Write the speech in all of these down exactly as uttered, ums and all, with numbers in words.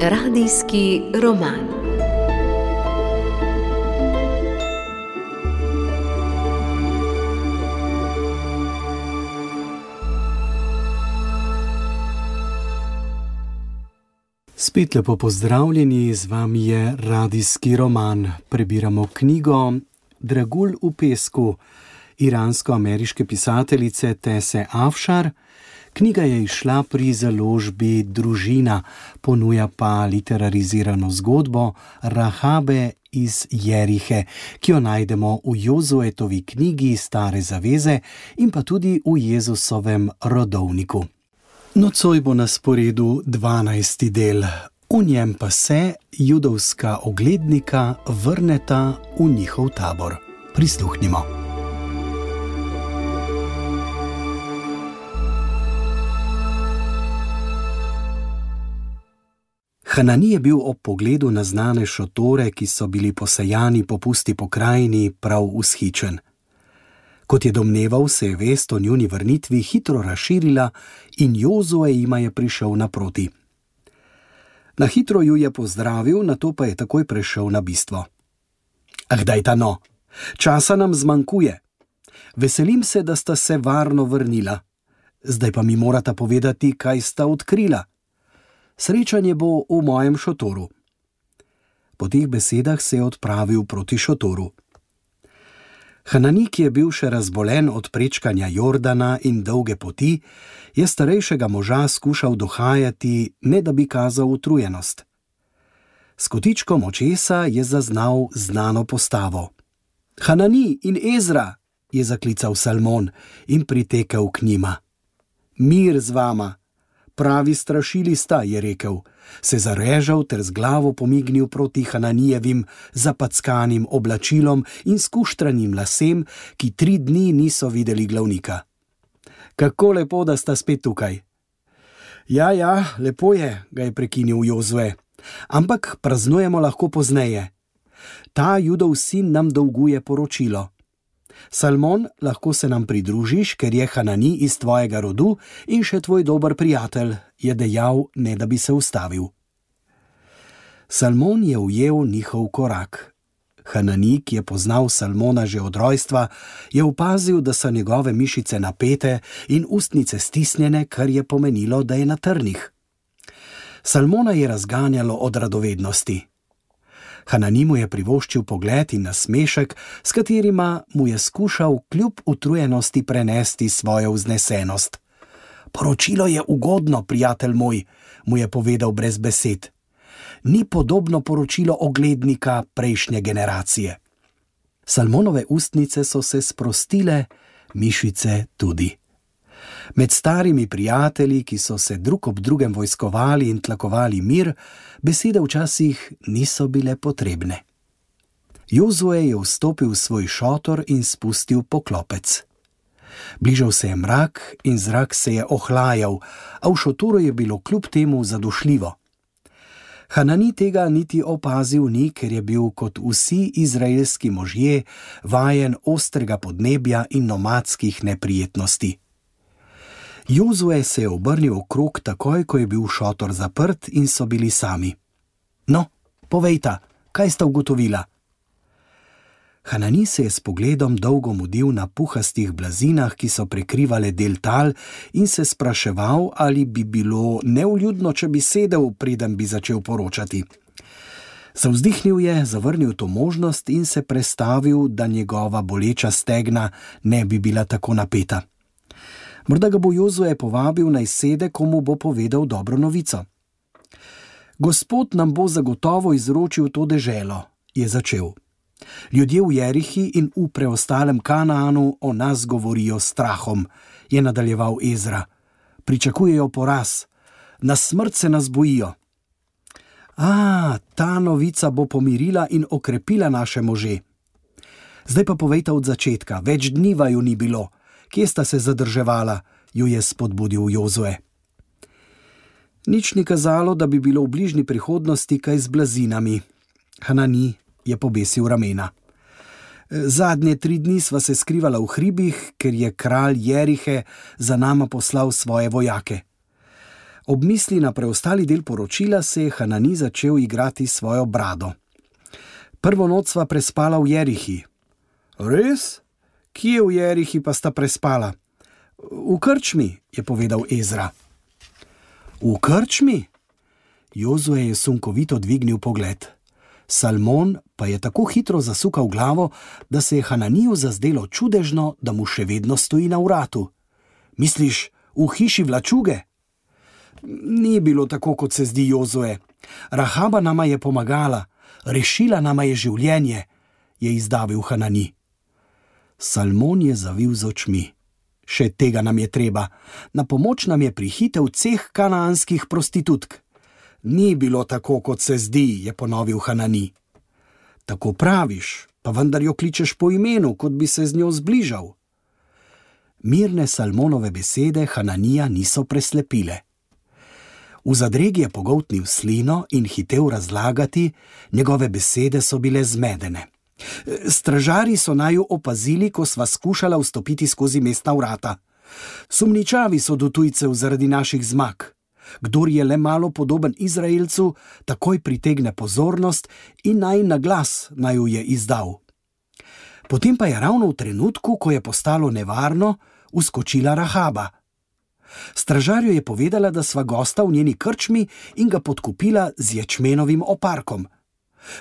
Radijski roman. Spet lepo pozdravljeni, z vami je Radijski roman. Prebiramo knjigo Dragulj v pesku iransko-ameriške pisateljice Tese Afšar. Knjiga je izšla pri založbi Družina, ponuja pa literarizirano zgodbo Rahabe iz Jerihe, ki jo najdemo v Jozuetovi knjigi Stare zaveze in pa tudi v Jezusovem rodovniku. Nocoj bo na sporedu dvanajsti del, v njem pa se judovska oglednika vrneta v njihov tabor. Prisluhnimo. Hanani je bil ob pogledu na znane šotore, ki so bili posejani po pusti pokrajini, prav vzhičen. Kot je domneval, se je vest o njuni vrnitvi hitro razširila in Jozue jima je prišel naproti. Na hitro ju je pozdravil, nato pa je takoj prešel na bistvo. Ah, dajta no, časa nam zmanjkuje. Veselim se, da sta se varno vrnila. Zdaj pa mi morata povedati, kaj sta odkrila. Srečanje bo v mojem šotoru. Po teh besedah se je odpravil proti šotoru. Hanani, ki je bil še razbolen od prečkanja Jordana in dolge poti, je starejšega moža skušal dohajati, ne da bi kazal utrujenost. S kotičkom očesa je zaznal znano postavo. Hanani in Ezra, je zaklical Salmon in pritekel k njima. Mir z vama, pravi strašili sta, je rekel, se zarežal ter z glavo pomignil proti Hananijevim zapackanim oblačilom in skuštranim lasem, ki tri dni niso videli glavnika. Kako lepo, da sta spet tukaj. Ja, ja, lepo je, ga je prekinil Jozue, ampak praznujemo lahko pozneje. Ta Judov sin nam dolguje poročilo. Salmon, lahko se nam pridružiš, ker je Hanani iz tvojega rodu in še tvoj dober prijatelj, je dejal, ne da bi se ustavil. Salmon je ujel njihov korak. Hanani, ki je poznal Salmona že od rojstva, je opazil, da so njegove mišice napete in ustnice stisnjene, kar je pomenilo, da je na trnih. Salmona je razganjalo od radovednosti. Hanani mu je privoščil pogled in nasmešek, s katerima mu je skušal kljub utrujenosti prenesti svojo vznesenost. Poročilo je ugodno, prijatelj moj, mu je povedal brez besed. Ni podobno poročilo oglednika prejšnje generacije. Salmonove ustnice so se sprostile, mišice tudi. Med starimi prijatelji, ki so se drug ob drugem vojskovali in tlakovali mir, besede včasih niso bile potrebne. Jozue je vstopil v svoj šotor in spustil poklopec. Bližal se je mrak in zrak se je ohlajal, a v šotoru je bilo kljub temu zadušljivo. Hanani tega niti opazil ni, ker je bil kot vsi izraelski možje vajen ostrega podnebja in nomadskih neprijetnosti. Jozue se je obrnil okrog takoj, ko je bil šotor zaprt in so bili sami. No, povejta, kaj sta ugotovila? Hanani se je s pogledom dolgo mudil na puhastih blazinah, ki so prekrivale del tal, in se spraševal, ali bi bilo nevljudno, če bi sedel, preden bi začel poročati. Zavzdihnil je, zavrnil to možnost in se prestavil, da njegova boleča stegna ne bi bila tako napeta. Morda ga bo Jozue povabil naj sede, ko mu bo povedal dobro novico. Gospod nam bo zagotovo izročil to deželo, je začel. Ljudje v Jerihi in v preostalem Kanaanu o nas govorijo s strahom, je nadaljeval Ezra. Pričakujejo poraz, na smrt se nas bojijo. A, ta novica bo pomirila in okrepila naše može. Zdaj pa povejta od začetka, več dni vaju ni bilo. Kje sta se zadrževala, ju je spodbudil Jozue. Nič ni kazalo, da bi bilo v bližnji prihodnosti kaj z blazinami. Hanani je pobesil ramena. Zadnje tri dni sva se skrivala v hribih, ker je kralj Jerihe za nama poslal svoje vojake. Ob misli na preostali del poročila se je Hanani začel igrati svojo brado. Prvo noč sva prespala v Jerihi. Res? Kje v Jerihi pa sta prespala? V krčmi, je povedal Ezra. V krčmi? Jozue je sunkovito dvignil pogled. Salmon pa je tako hitro zasukal glavo, da se je Hananiju zazdelo čudežno, da mu še vedno stoji na vratu. Misliš, v hiši vlačuge? Ni bilo tako, kot se zdi, Jozue. Rahaba nama je pomagala, rešila nama je življenje, je izdavil Hanani. Salmon je zavil z očmi. Še tega nam je treba. Na pomoč nam je prihitev ceh kanaanskih prostitutk. Ni bilo tako, kot se zdi, je ponovil Hanani. Tako praviš, pa vendar jo kličeš po imenu, kot bi se z njo zbližal. Mirne Salmonove besede Hananija niso preslepile. V zadregi je pogoltnil slino in hitel razlagati, njegove besede so bile zmedene. Stražarji so naju opazili, ko sva skušala vstopiti skozi mestna vrata. Sumničavi so do tujcev zaradi naših zmag. Kdor je le malo podoben Izraelcu, takoj pritegne pozornost in naj na glas naju je izdal. Potem pa je ravno v trenutku, ko je postalo nevarno, vskočila Rahaba. Stražarju je povedala, da sva gosta v njeni krčmi in ga podkupila z ječmenovim oparkom.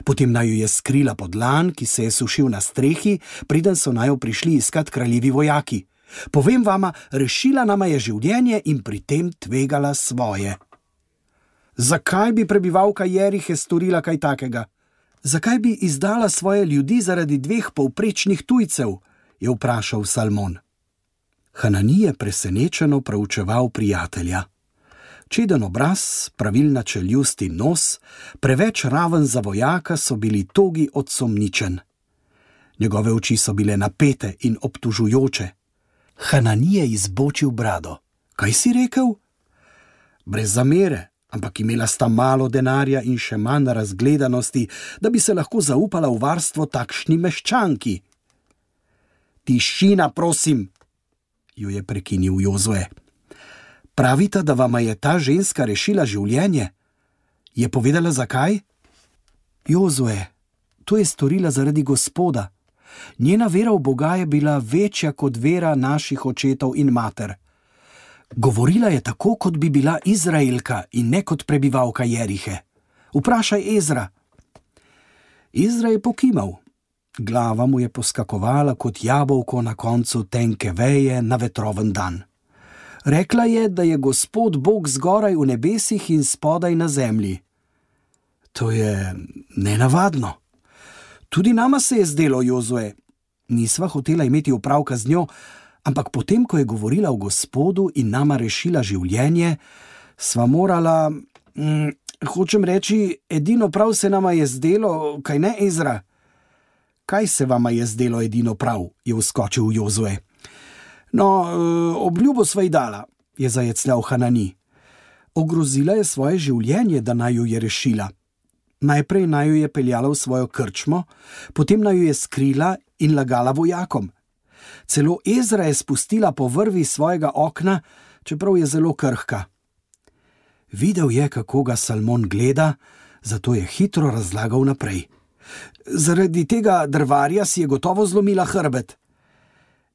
Potem naju je skrila pod lan, ki se je sušil na strehi, preden so naju prišli iskat kraljevi vojaki. Povem vama, rešila nama je življenje in pri tem tvegala svoje. Zakaj bi prebivalka Jerihe storila kaj takega? Zakaj bi izdala svoje ljudi zaradi dveh povprečnih tujcev? Je vprašal Salmon. Hanani je presenečeno proučeval prijatelja. Čeden obraz, pravilna čeljust in nos, preveč raven za vojaka, so bili togi od sumničenj. Njegove oči so bile napete in obtužujoče. Hanani je izbočil brado. Kaj si rekel? Brez zamere, ampak imela sta malo denarja in še manj razgledanosti, da bi se lahko zaupala v varstvo takšni meščanki. Tišina, prosim, jo je prekinil Jozue. Pravita, da vama je ta ženska rešila življenje. Je povedala zakaj? Jozue, to je storila zaradi Gospoda. Njena vera v Boga je bila večja kot vera naših očetov in mater. Govorila je tako, kot bi bila Izraelka in ne kot prebivalka Jerihe. Vprašaj Ezra. Ezra je pokimal. Glava mu je poskakovala kot jabolko na koncu tenke veje na vetroven dan. Rekla je, da je Gospod Bog zgoraj v nebesih in spodaj na zemlji. To je nenavadno. Tudi nama se je zdelo, Jozue. Nisva hotela imeti opravka z njo, ampak potem, ko je govorila o Gospodu in nama rešila življenje, sva morala, hm, hočem reči, edino prav se nama je zdelo, kaj ne, Ezra? Kaj se vama je zdelo edino prav, je vskočil Jozue. No, obljubo sva ji dala, je zajecljal Hanani. Ogrozila je svoje življenje, da naju je rešila. Najprej naju je peljala v svojo krčmo, potem naju je skrila in lagala vojakom. Celo Ezra je spustila po vrvi svojega okna, čeprav je zelo krhka. Videl je, kako ga Salmon gleda, zato je hitro razlagal naprej. Zaradi tega drvarja si je gotovo zlomila hrbet.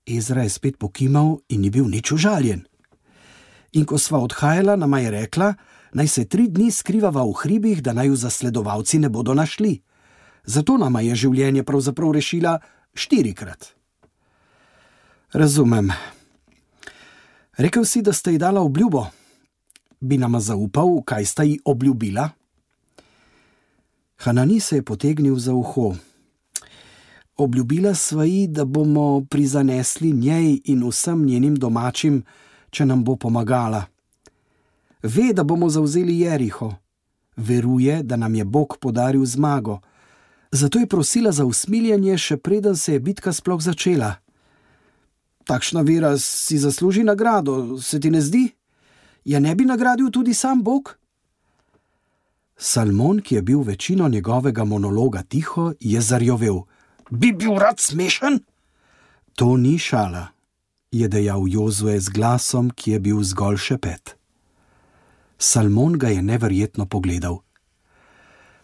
Ezra je spet pokimal in ni bil nič užaljen. In ko sva odhajala, nama je rekla, naj se tri dni skrivava v hribih, da naju zasledovalci ne bodo našli. Zato nama je življenje pravzaprav rešila štirikrat. Razumem. Rekel si, da sta ji dala obljubo. Bi nama zaupal, kaj sta ji obljubila? Hanani se je potegnil za uho. Obljubila sva ji, da bomo prizanesli njej in vsem njenim domačim, če nam bo pomagala. Ve, da bomo zavzeli Jeriho. Veruje, da nam je Bog podaril zmago. Zato je prosila za usmiljenje, še preden se je bitka sploh začela. Takšna vera si zasluži nagrado, se ti ne zdi? Ja ne bi nagradil tudi sam Bog? Salmon, ki je bil večino njegovega monologa tiho, je zarjovel. Bi bil rad smešen? To ni šala, je dejal Jozue z glasom, ki je bil zgolj šepet. Salmon ga je neverjetno pogledal.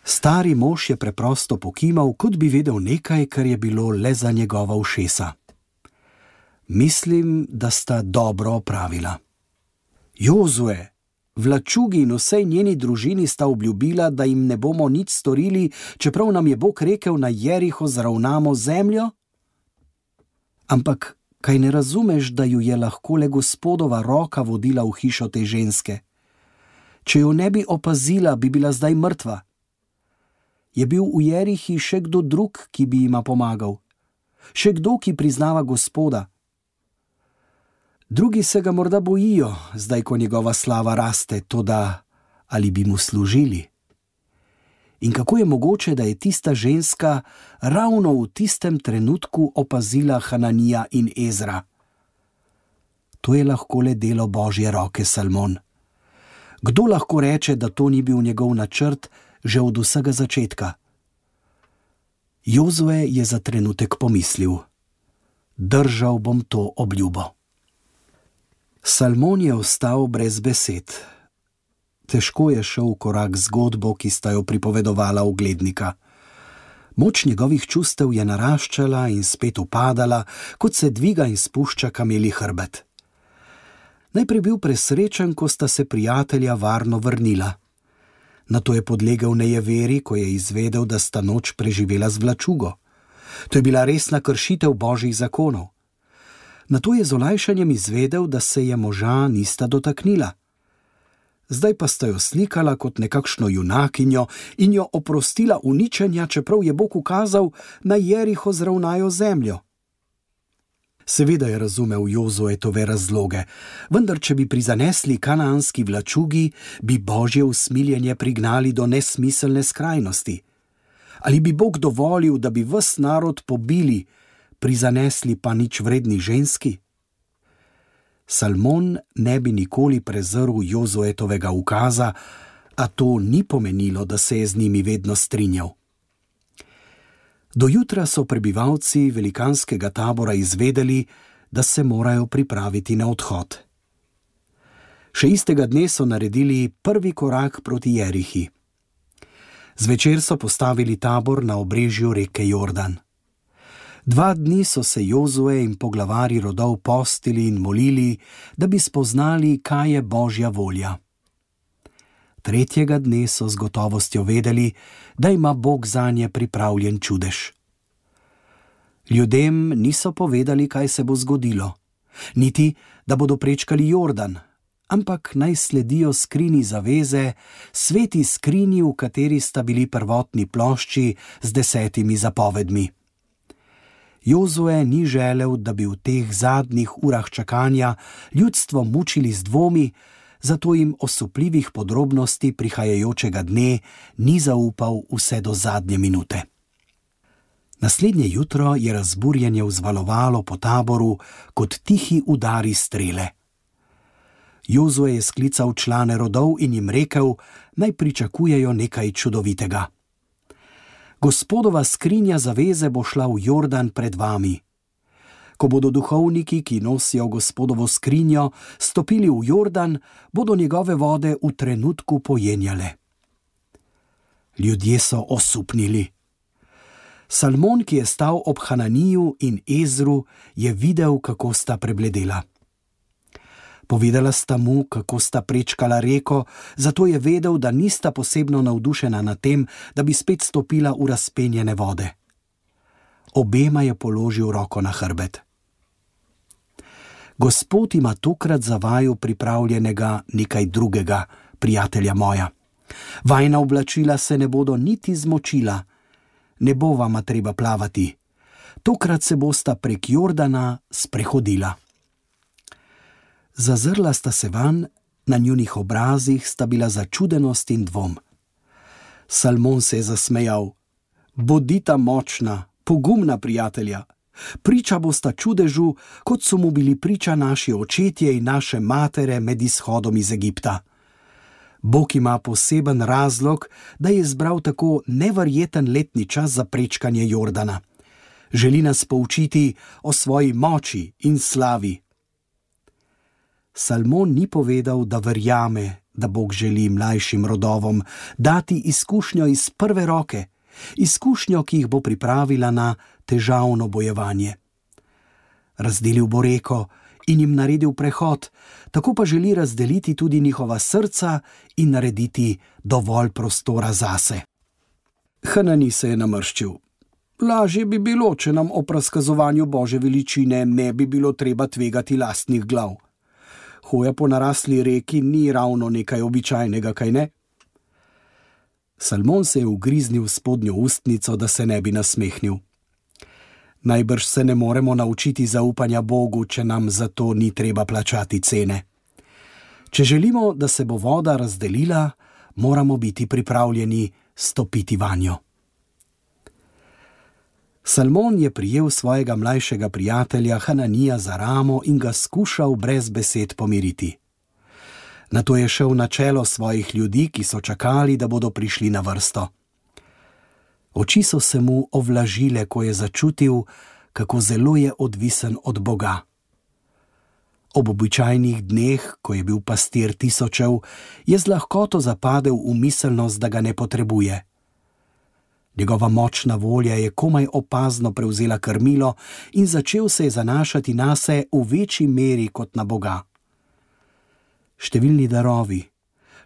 Stari mož je preprosto pokimal, kot bi vedel nekaj, kar je bilo le za njegova ušesa. Mislim, da sta dobro opravila. Jozue, vlačugi in vsej njeni družini sta obljubila, da jim ne bomo nič storili, čeprav nam je Bog rekel, na Jeriho zravnamo zemljo? Ampak kaj ne razumeš, da ju je lahko le Gospodova roka vodila v hišo te ženske? Če jo ne bi opazila, bi bila zdaj mrtva. Je bil v Jerihi še kdo drug, ki bi jima pomagal? Še kdo, ki priznava Gospoda? Drugi se ga morda bojijo, zdaj ko njegova slava raste, toda ali bi mu služili? In kako je mogoče, da je tista ženska ravno v tistem trenutku opazila Hananija in Ezra? To je lahko le delo Božje roke, Salmon. Kdo lahko reče, da to ni bil njegov načrt že od vsega začetka? Jozue je za trenutek pomislil. Držal bom to obljubo. Salmon je ostal brez besed. Težko je šel v korak z zgodbo, ki sta jo pripovedovala uglednika. Moč njegovih čustev je naraščala in spet upadala, kot se dviga in spušča kameli hrbet. Najprej bil presrečen, ko sta se prijatelja varno vrnila. Nato je podlegel nejeveri, ko je izvedel, da sta noč preživela z vlačugo. To je bila resna kršitev Božjih zakonov. Nato je z olajšanjem izvedel, da se je moža nista dotaknila. Zdaj pa sta jo slikala kot nekakšno junakinjo in jo oprostila uničenja, čeprav je Bog ukazal, naj Jeriho zravnajo zemljo. Seveda je razumel Jozuetove razloge, vendar če bi prizanesli kanaanski vlačugi, bi Božje usmiljenje prignali do nesmiselne skrajnosti. Ali bi Bog dovolil, da bi ves narod pobili, prizanesli pa nič vredni ženski? Salmon ne bi nikoli prezrl Jozuetovega ukaza, a to ni pomenilo, da se je z njimi vedno strinjal. Do jutra so prebivalci velikanskega tabora izvedeli, da se morajo pripraviti na odhod. Še istega dne so naredili prvi korak proti Jerihi. Zvečer so postavili tabor na obrežju reke Jordan. Dva dni so se Jozue in poglavari rodov postili in molili, da bi spoznali, kaj je Božja volja. Tretjega dne so z gotovostjo vedeli, da ima Bog zanje pripravljen čudež. Ljudem niso povedali, kaj se bo zgodilo, niti, da bodo prečkali Jordan, ampak naj sledijo skrini zaveze, sveti skrini, v kateri sta bili prvotni plošči z desetimi zapovedmi. Jozue ni želel, da bi v teh zadnjih urah čakanja ljudstvo mučili z dvomi, zato jim osupljivih podrobnosti prihajajočega dne ni zaupal vse do zadnje minute. Naslednje jutro je razburjenje vzvalovalo po taboru kot tihi udari strele. Jozue je sklical člane rodov in jim rekel, naj pričakujejo nekaj čudovitega. Gospodova skrinja zaveze bo šla v Jordan pred vami. Ko bodo duhovniki, ki nosijo Gospodovo skrinjo, stopili v Jordan, bodo njegove vode v trenutku pojenjale. Ljudje so osupnili. Salmon, ki je stal ob Hananiju in Ezru, je videl, kako sta prebledela. Povedala sta mu, kako sta prečkala reko, zato je vedel, da nista posebno navdušena nad tem, da bi spet stopila v razpenjene vode. Obema je položil roko na hrbet. Gospod ima tokrat za vaju pripravljenega nekaj drugega, prijatelja moja. Vajna oblačila se ne bodo niti zmočila, ne bo vama treba plavati. Tokrat se bosta prek Jordana sprehodila. Zazrla sta se van, na njunih obrazih sta bila začudenost in dvom. Salmon se je zasmejal. Bodita močna, pogumna prijatelja. Priča bosta čudežu, kot so mu bili priča naši očetje in naše matere med izhodom iz Egipta. Bog ima poseben razlog, da je izbral tako neverjeten letni čas za prečkanje Jordana. Želi nas poučiti o svoji moči in slavi. Salmon ni povedal, da verjame, da Bog želi mlajšim rodovom dati izkušnjo iz prve roke, izkušnjo, ki jih bo pripravila na težavno bojevanje. Razdelil bo reko in jim naredil prehod, tako pa želi razdeliti tudi njihova srca in narediti dovolj prostora zase. Hanani se je namrščil. Lažje bi bilo, če nam ob razkazovanju Božje veličine ne bi bilo treba tvegati lastnih glav. Hoja po narasli reki ni ravno nekaj običajnega, kaj ne? Salmon se je ugriznil v spodnjo ustnico, da se ne bi nasmehnil. Najbrž se ne moremo naučiti zaupanja Bogu, če nam za to ni treba plačati cene. Če želimo, da se bo voda razdelila, moramo biti pripravljeni stopiti vanjo. Salmon je prijel svojega mlajšega prijatelja Hananija za ramo in ga skušal brez besed pomiriti. Nato je šel na čelo svojih ljudi, ki so čakali, da bodo prišli na vrsto. Oči so se mu ovlažile, ko je začutil, kako zelo je odvisen od Boga. Ob običajnih dneh, ko je bil pastir tisočev, je z lahkoto zapadel v miselnost, da ga ne potrebuje. Njegova močna volja je komaj opazno prevzela krmilo in začel se je zanašati nase v večji meri kot na Boga. Številni darovi,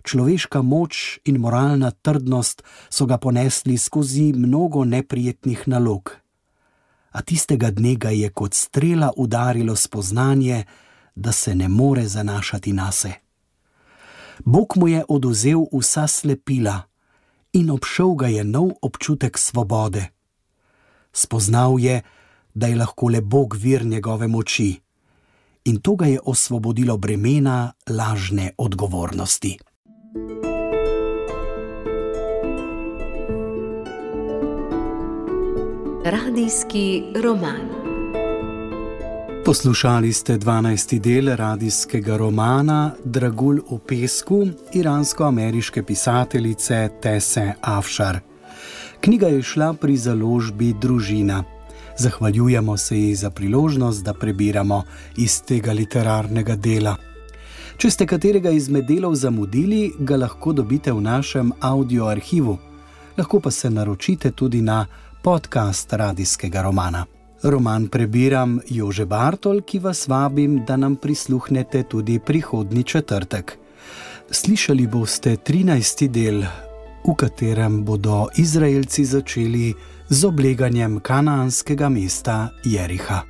človeška moč in moralna trdnost so ga ponesli skozi mnogo neprijetnih nalog. A tistega dne ga je kot strela udarilo spoznanje, da se ne more zanašati nase. Bog mu je odvzel vsa slepila in obšel ga je nov občutek svobode. Spoznal je, da je lahko le Bog vir njegove moči, in to ga je osvobodilo bremena lažne odgovornosti. Radijski roman. Poslušali ste dvanajsti del radijskega romana Dragulj v pesku iransko-ameriške pisateljice Tese Afšar. Knjiga je šla pri založbi Družina. Zahvaljujemo se ji za priložnost, da prebiramo iz tega literarnega dela. Če ste katerega izmed delov zamudili, ga lahko dobite v našem audio arhivu. Lahko pa se naročite tudi na podcast radijskega romana. Roman prebiram Jože Bartol, ki vas vabim, da nam prisluhnete tudi prihodnji četrtek. Slišali boste trinajsti del, v katerem bodo Izraelci začeli z obleganjem kanaanskega mesta Jeriha.